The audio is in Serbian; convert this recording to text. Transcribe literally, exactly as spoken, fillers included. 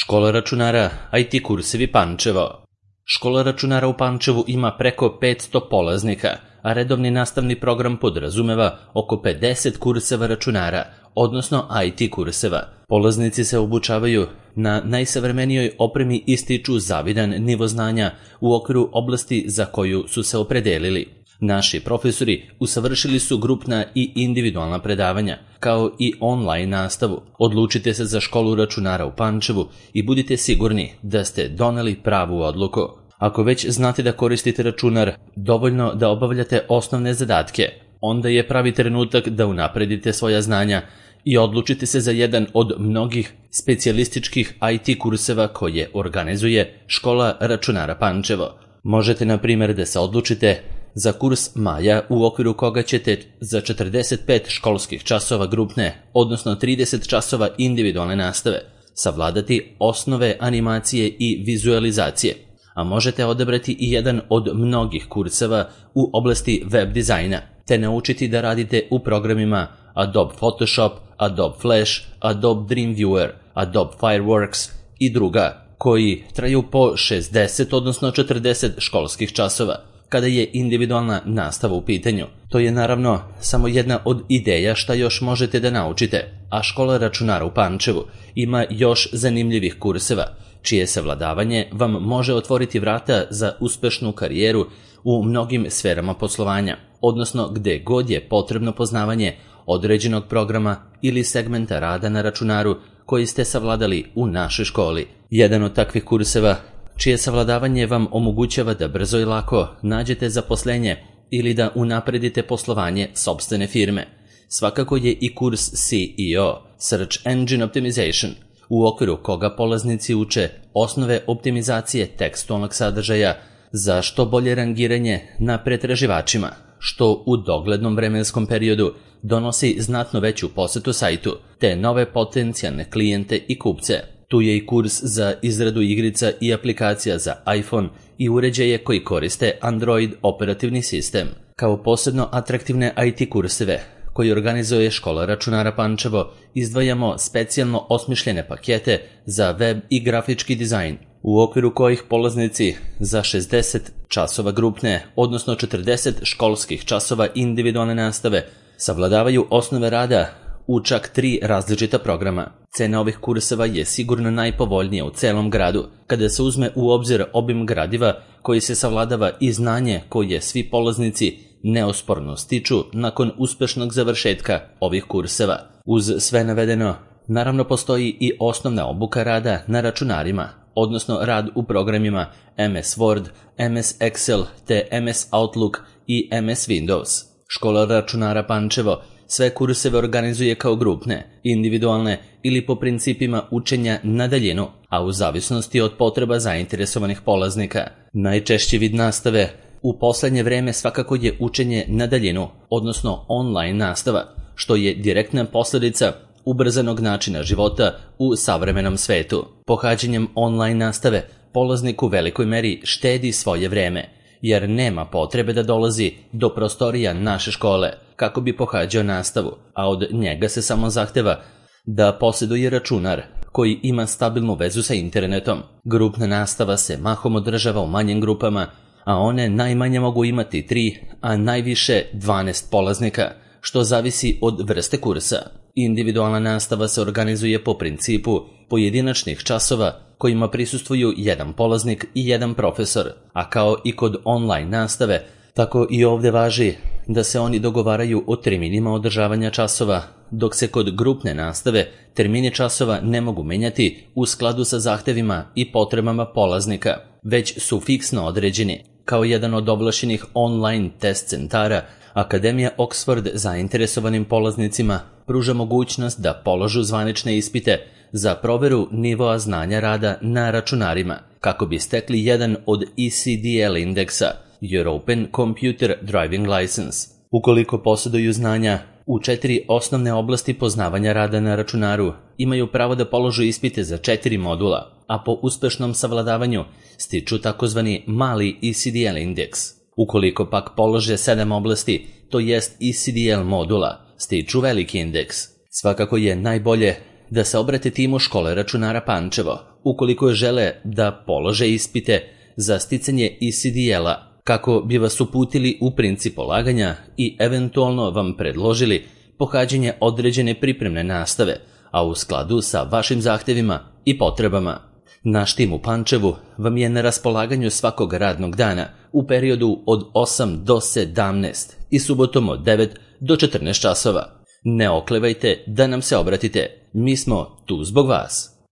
Škola računara I T kursevi Pančevo. Škola računara u Pančevu ima preko petsto polaznika, a redovni nastavni program podrazumeva oko pedeset kurseva računara, odnosno I T kurseva. Polaznici se obučavaju na najsavremenijoj opremi i stiču zavidan nivo znanja u okviru oblasti za koju su se opredelili. Naši profesori usavršili su grupna i individualna predavanja, kao i online nastavu. Odlučite se za školu računara u Pančevu i budite sigurni da ste doneli pravu odluku. Ako već znate da koristite računar, dovoljno da obavljate osnovne zadatke, onda je pravi trenutak da unapredite svoja znanja i odlučite se za jedan od mnogih specijalističkih I T kurseva koje organizuje Škola računara Pančevo. Možete, na primjer, da se odlučite za kurs Maja, u okviru koga ćete za četrdeset pet školskih časova grupne, odnosno trideset časova individualne nastave, savladati osnove animacije i vizualizacije, a možete odabrati i jedan od mnogih kurseva u oblasti web dizajna, te naučiti da radite u programima Adobe Photoshop, Adobe Flash, Adobe Dreamweaver, Adobe Fireworks i druga, koji traju po šezdeset odnosno četrdeset školskih časova. Kada je individualna nastava u pitanju, to je naravno samo jedna od ideja šta još možete da naučite, a škola računara u Pančevu ima još zanimljivih kurseva, čije savladavanje vam može otvoriti vrata za uspešnu karijeru u mnogim sferama poslovanja, odnosno gde god je potrebno poznavanje određenog programa ili segmenta rada na računaru koji ste savladali u našoj školi. Jedan od takvih kurseva čije savladavanje vam omogućava da brzo i lako nađete zaposlenje ili da unapredite poslovanje sopstvene firme. Svakako je i kurs C E O, Search Engine Optimization, u okviru koga polaznici uče osnove optimizacije tekstualnog sadržaja za što bolje rangiranje na pretraživačima, što u doglednom vremenskom periodu donosi znatno veću posetu sajtu, te nove potencijalne klijente i kupce. Tu je i kurs za izradu igrica i aplikacija za iPhone i uređaje koji koriste Android operativni sistem. Kao posebno atraktivne I T kurseve koji organizuje Škola računara Pančevo izdvajamo specijalno osmišljene pakete za web i grafički dizajn, u okviru kojih polaznici za šezdeset časova grupne, odnosno četrdeset školskih časova individualne nastave, savladavaju osnove rada u čak tri različita programa. Cena ovih kurseva je sigurno najpovoljnija u celom gradu, kada se uzme u obzir obim gradiva koji se savladava i znanje koje svi polaznici neosporno stiču nakon uspešnog završetka ovih kurseva. Uz sve navedeno, naravno postoji i osnovna obuka rada na računarima, odnosno rad u programima M S Word, M S Excel te M S Outlook i M S Windows. Škola računara Pančevo sve kurseve organizuje kao grupne, individualne ili po principima učenja na daljinu, a u zavisnosti od potreba zainteresovanih polaznika. Najčešći vid nastave u poslednje vreme svakako je učenje na daljinu, odnosno online nastava, što je direktna posledica ubrzanog načina života u savremenom svetu. Pohađanjem online nastave polaznik u velikoj meri štedi svoje vreme, jer nema potrebe da dolazi do prostorija naše škole kako bi pohađao nastavu, a od njega se samo zahteva da posjeduje računar koji ima stabilnu vezu sa internetom. Grupna nastava se mahom održava u manjim grupama, a one najmanje mogu imati tri, a najviše dvanaest polaznika, što zavisi od vrste kursa. Individualna nastava se organizuje po principu pojedinačnih časova kojima prisustvuju jedan polaznik i jedan profesor, a kao i kod online nastave, tako i ovde važi da se oni dogovaraju o terminima održavanja časova, dok se kod grupne nastave termini časova ne mogu menjati u skladu sa zahtevima i potrebama polaznika, već su fiksno određeni. Kao jedan od ovlašćenih online test centara, Akademija Oxford zainteresovanim polaznicima pruža mogućnost da položu zvanične ispite za proveru nivoa znanja rada na računarima, kako bi stekli jedan od E C D L indeksa, European Computer Driving License. Ukoliko posjeduju znanja u četiri osnovne oblasti poznavanja rada na računaru, imaju pravo da položu ispite za četiri modula, a po uspešnom savladavanju stiču takozvani mali E C D L indeks. Ukoliko pak polože sedam oblasti, to jest E C D L modula, stiču veliki indeks. Svakako je najbolje da se obrate timu škole računara Pančevo ukoliko žele da polože ispite za sticanje E C D L-a, kako bi vas uputili u princip polaganja i eventualno vam predložili pohađanje određene pripremne nastave, a u skladu sa vašim zahtevima i potrebama. Naš tim u Pančevu vam je na raspolaganju svakog radnog dana u periodu od osam do sedamnaest i subotom od devet do četrnaest časova. Ne oklevajte da nam se obratite, mi smo tu zbog vas.